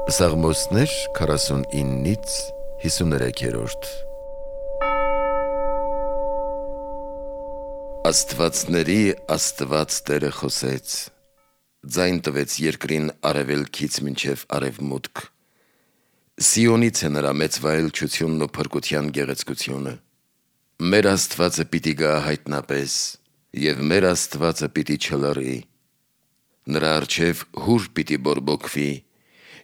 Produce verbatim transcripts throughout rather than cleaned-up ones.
Սաղմոսներ քառասունինից հիսուներեքերորդ Աստվածների Աստված Տերը խոսեց, ձայն տվեց երկրին արևելքից մինչև արևմուտք, Սիոնից է նրա մեծ վայելչությունն ու փրկության գեղեցկությունը, մեր Աստվածը պիտի գա հայտնապես, և մեր Աստվածը պիտի չլռի, նրա առջև հուր պիտի բորբոքվի,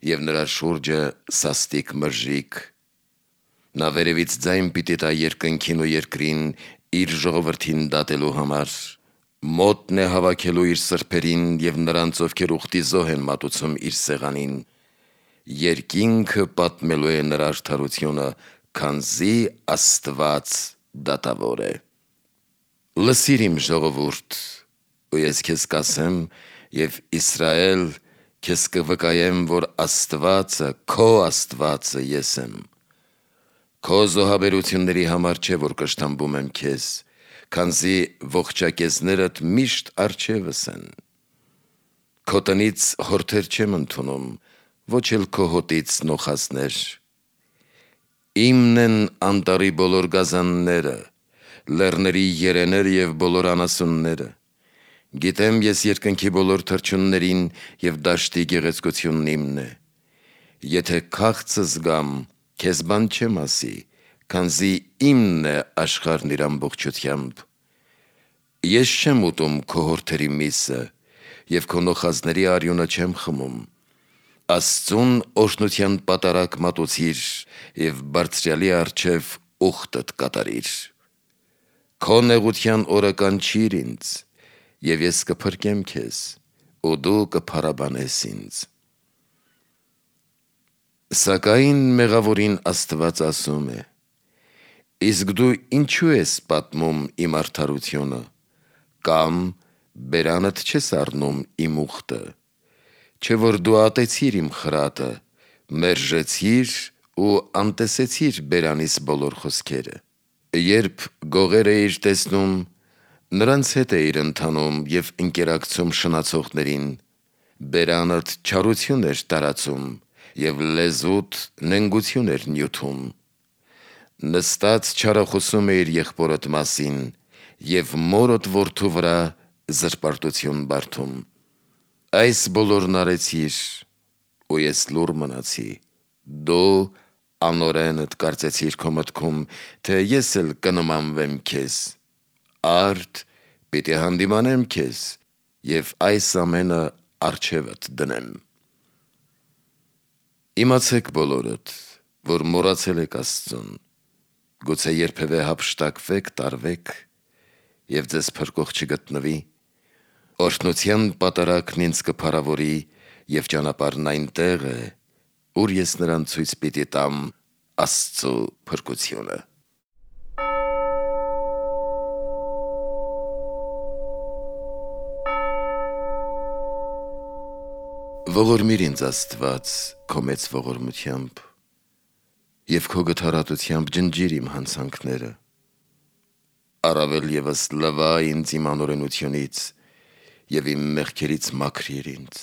և նրա շուրջը սաստիկ մրրիկ, նա վերևից ձայն պիտի տա երկնքին ու երկրին իր ժողովրդին դատելու համար, մոտն է հավաքելու իր սրբերին և նրանց, ովքեր ուխտի զոհ են մատուցում իր սեղանին, երկինքը պատմելու է նրա արդարությունը, քանզի Աստված դատավոր է։ Լսիր իմ ժողովուրդ, ու ես քեզ կասեմ, և Իսրայել, քեզ կվկայեմ, որ Աստվածը, քո Աստվածը ես եմ, քո զոհաբերությունների համար չէ, որ կշտամբում եմ քեզ, քանզի ողջակեզներդ միշտ առջևս են, քո տնից հորթեր չեմ ընդունում, ոչ էլ քո հոտից նոխազներ, իմն են անտառի բոլոր գազանները, լեռների երեները և բոլոր անասունները, գիտեմ ես երկնքի բոլոր թռչուններին և դաշտի գեղեցկությունն իմն է, եթե քաղցը զգամ, քեզ բան չեմ ասի, քանզի իմն է աշխարհն իր ամբողջությամբ, ես չեմ ուտում քո հորթերի միսը և քո նոխազների արյունը չեմ խմում, Աստծուն օրհնության պատարագ մատուցիր և Բարձրյալի առջև ուխտդ կատարիր, քո նեղության օրը կանչիր ինձ, և ես կփրկեմ քեզ, ու դու կփառաբանես ինձ։ Սակայն մեղավորին Աստված ասում է. իսկ դու ինչու ես պատմում իմ արդարությունը, կամ բերանդ չես առնում իմ ուխտը, չէ որ դու ատեցիր իմ խրատը, մերժեցիր ու անտեսեցիր բերանիս բոլոր խոսքերը, երբ գողեր էիր տեսնում, նրանց հետ էիր ընթանում և ընկերակցում շնացողներին, բերանդ չարություն էր տարածում և լեզուդ նենգություն էր նյութում, նստած չարախոսում էիր եղբորդ մասին և մորդ որդու վրա զրպարտություն բարդում, այս բոլորն արեցիր, ու ես լուռ մնացի, դու անօրենդ կարծեցիր քո մտքում, թե ես էլ կնմանվեմ քեզ, արդ պիտի հանդիմանեմ քեզ և այս ամենը առջևդ դնեմ։ Իմացեք բոլորդ, որ մոռացել եք Աստծուն, գուցե երբևէ հափշտակվեք, տարվեք և ձեզ փրկող չգտնվի, օրհնության պատարագն ինձ կփառավորի և ճանապարհն այնտեղ է, ուր ես նրան ցույց պիտի տամ Աստծու փրկությունը։ Ողորմիր ինձ Աստված քո մեծ ողորմությամբ և քո գթառատությամբ ջնջիր իմ հանցանքները, առավել ևս լվա ինձ իմ անօրենությունից և իմ մեղքերից մաքրիր ինձ,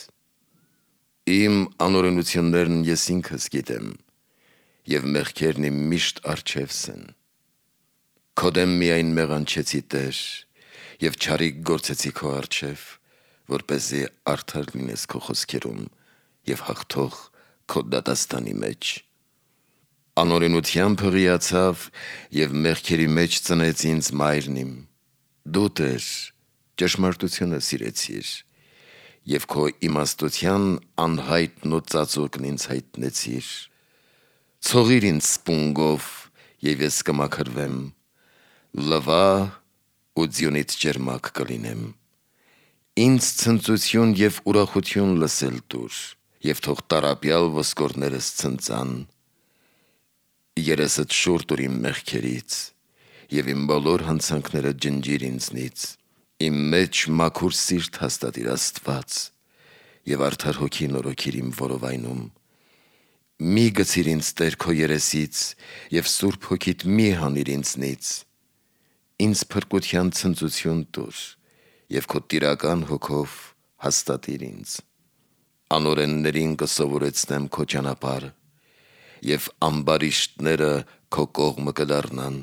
իմ անօրենություններն ես ինքս գիտեմ և մեղքերն իմ միշտ առջևս են, քո դեմ միայն մեղանչեցի Տեր և չարիք գործեցի քո առջև, որպեսզի արդար լինես քո խոսքերում և հաղթող քո դատաստանի մեջ, անօրենությամբ հղիացավ և մեղքերի մեջ ծնեց ինձ մայրն իմ, դու Տեր ճշմարտությունը սիրեցիր և քո իմաստության անհայտն ու ծածուկն ինձ հայտնեցիր, ցողիր ինձ սպունգով և ես կմաքրվեմ, լվա ու ձյունից ճերմակ կլինեմ, ինձ ցնծություն և ուրախություն լսել տուր և թող տառապյալ ոսկորներս ցնծան, երեսդ շուռ տուր իմ մեղքերից և իմ բոլոր հանցանքները ջնջիր ինձնից, իմ մեջ մաքուր սիրտ հաստատիր Աստված և արդար հոգի նորոգիր իմ որովայնում, մի գցիր ինձ Տեր քո երեսից և սուրբ հոգիդ մի հանիր ինձնից, ինձ փրկության ցնծություն տուր և քո տիրական հոգով հաստատիր ինձ, անօրեններին կսովորեցնեմ քո ճանապարհը, եւ ամբարիշտները քո կողմը կդառնան։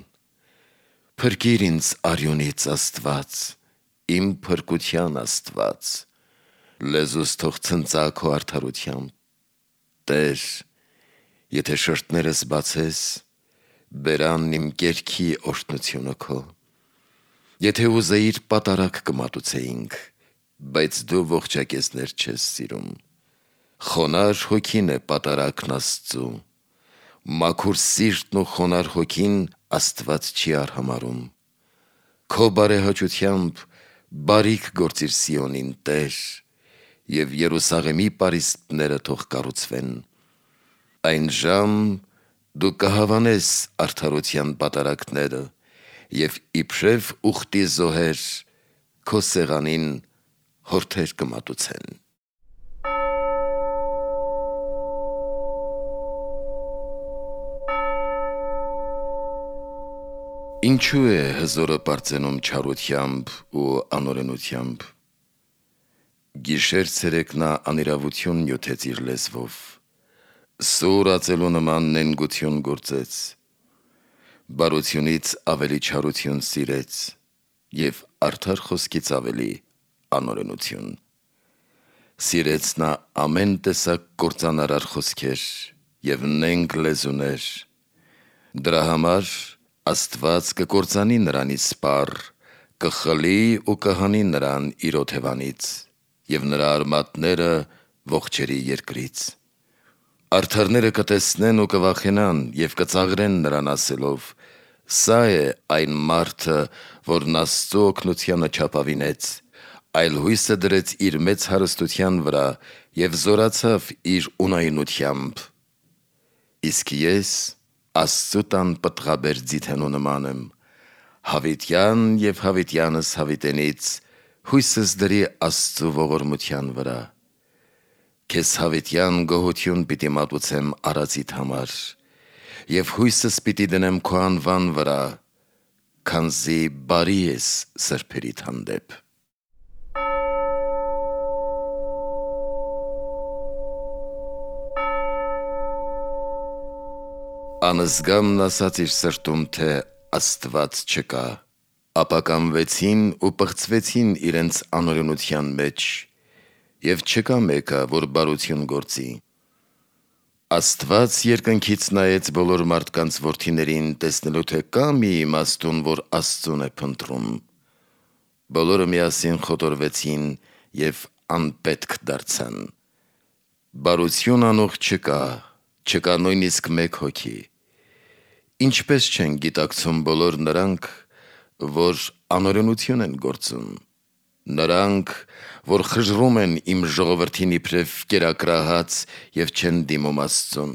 Փրկիր ինձ արյունից, Աստված, իմ փրկության Աստված, լեզուս թող ցնծա քո արդարությամբ։ Տեր, եթե շրթներս բացես, բերանն իմ կերքի օրհնությունը քո։ Եթե ուզեիր, պատարագ կմատուցեինք, բայց դու ողջակեզներ չես սիրում։ Խոնար հոգին է պատարագն Աստծու, մաքուր սիրտն ու խոնար հոգին Աստված չի արհամարհում։ Քո բարեհաճությամբ բարիք գործիր Սիոնին, Տեր, եւ Երուսաղեմի պարիսպները թող կառուցվեն։ Այն ժամ դու կհավանես արդարության պատարագները եւ իբրև ուխտի զոհեր քո սեղանին հորթեր կմատուցեն։ Ինչու է հզորը պարծենում չարությամբ ու անօրենությամբ։ Գիշեր ցերեկ նա անիրավություն նյութեց իր լեզվով, սուր ածելու նման նենգություն գործեց, բարությունից ավելի չարություն սիրեց եւ արդար խոսքից ավելի անօրենություն։ Սիրեց նա ամեն տեսակ կործանարար խոսքեր եւ նենգ լեզուներ։ Դրա համար Աստված կկործանի նրանից սպառ, կխլի ու կհանի նրան իր օթևանից եւ նրա արմատները ողջերի երկրից։ Արդարները կտեսնեն ու կվախենան եւ կծաղրեն նրան ասելով. «Սա է այն մարդը, որն Աստծու օգնությանը չափավինեց, այլ հույսը դրեց իր մեծ հարստության վրա եւ զորացավ իր ունայնությամբ»։ Իսկ ես Աստծու տան պտղաբեր ձիթենու նման եմ, հավիտյան եւ հավիտյանս հավիտենից հույսս դրի Աստծու ողորմության վրա։ Քեզ հավիտյան գոհություն պիտի մատուցեմ արածիդ համար եւ հույսս պիտի դնեմ քո անվան վրա, քանզի բարի ես սրբերիդ հանդեպ։ Անզգամն ասաց իր սրտում, թե Աստված չկա, ապա կամվեցին ու պղծվեցին իրենց անօրենության մեջ, եւ չկա մեկը, որ բարություն գործի։ Աստված երկնքից նայեց բոլոր մարդկանց որդիներին, տեսնելու թե կա մի իմաստուն, որ Աստծուն է փնտրում։ Բոլորը միասին խոտորվեցին եւ անպետք դարձան։ Բարություն անող չկա, չկա նույնիսկ մեկ հոգի։ Ինչպես չեն գիտակցում բոլոր նրանք, որ անօրենություն են գործում, նրանք, որ խժռում են իմ ժողովրդին իբրև կերակրահաց եւ չեն դիմում Աստծուն։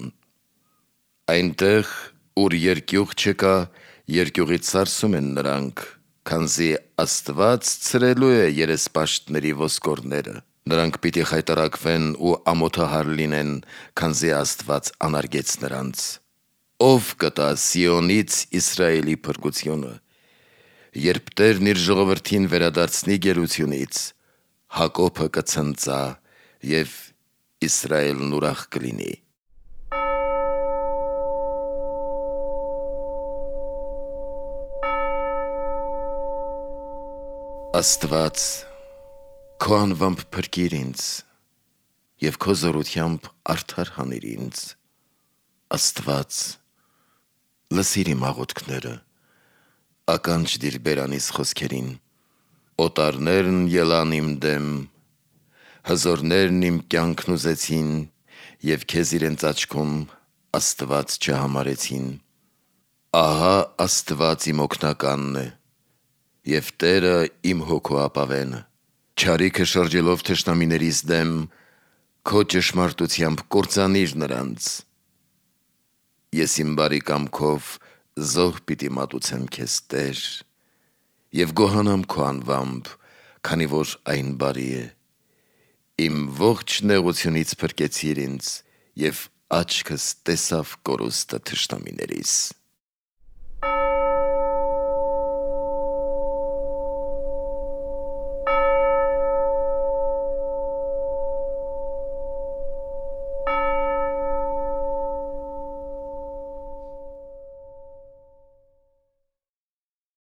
Այնտեղ, ուր երկյուղ չկա, երկյուղից սարսում են նրանք, քանզի Աստված ցրելու է երեսպաշտների ոսկորները։ Նրանք պիտի խայտարակվեն ու ամոթահար լինեն, քանզի Աստված անարգեց նրանց։ Ով կտա Սիոնից Իսրայելի փրկությունը, երբ Տերն իր ժողովրդին վերադարձնի գերությունից, Հակոբը կցնծա եւ Իսրայելն ուրախ կլինի։ Աստված, քո անվամբ փրկիր ինձ եւ քո զորությամբ արդար հանիր ինձ։ Աստված, լսիր իմ աղոթքները, ականջ դիր բերանիս խոսքերին։ Օտարներն ելան իմ դեմ, հզորներն իմ կյանքն ուզեցին եւ քեզ իրենց աչքում Աստված չհամարեցին։ Ահա Աստված իմ օգնականն է եւ Տերը իմ հոգու ապավենը։ Չարիքը շրջելով թշնամիներիս դեմ, քո ճշմարտությամբ կործանիր նրանց։ Ես իմ բարի կամքով զոհ պիտի մատուցեմ քեզ, Տեր, եւ գոհանամ քո անվամբ, քանի որ այն բարի է։ Իմ ողջ նեղությունից փրկեցիր ինձ, եւ աչքս տեսավ կորուստը թշնամիներիս։